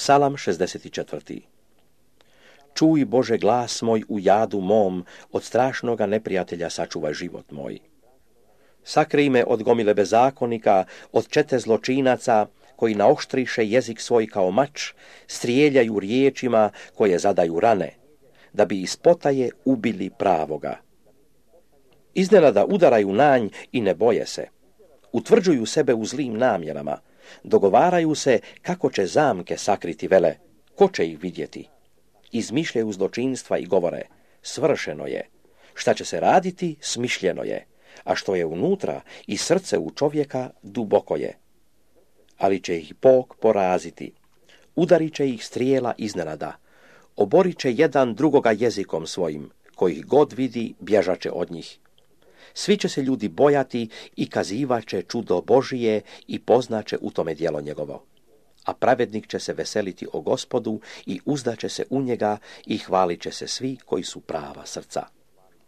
Psalam 64. Čuj, Bože, glas moj u jadu mom, od strašnoga neprijatelja sačuvaj život moj. Sakrij me od gomile bezakonika, od čete zločinaca, koji naoštriše jezik svoj kao mač, strijeljaju riječima koje zadaju rane, da bi iz potaje ubili pravoga. Iznenada udaraju nanj i ne boje se. Utvrđuju sebe u zlim namjerama, dogovaraju se kako će zamke sakriti vele, ko će ih vidjeti. Izmišljaju zločinstva i govore, svršeno je. Šta će se raditi, smišljeno je, a što je unutra i srce u čovjeka duboko je. Ali će ih Bog poraziti, udarit će ih strijela iznenada, oborit će jedan drugoga jezikom svojim, kojih god vidi bježaće od njih. Svi će se ljudi bojati i kazivaće čudo Božije i poznaće u tome djelo njegovo. A pravednik će se veseliti o Gospodu i uzdaće se u njega i hvalit će se svi koji su prava srca.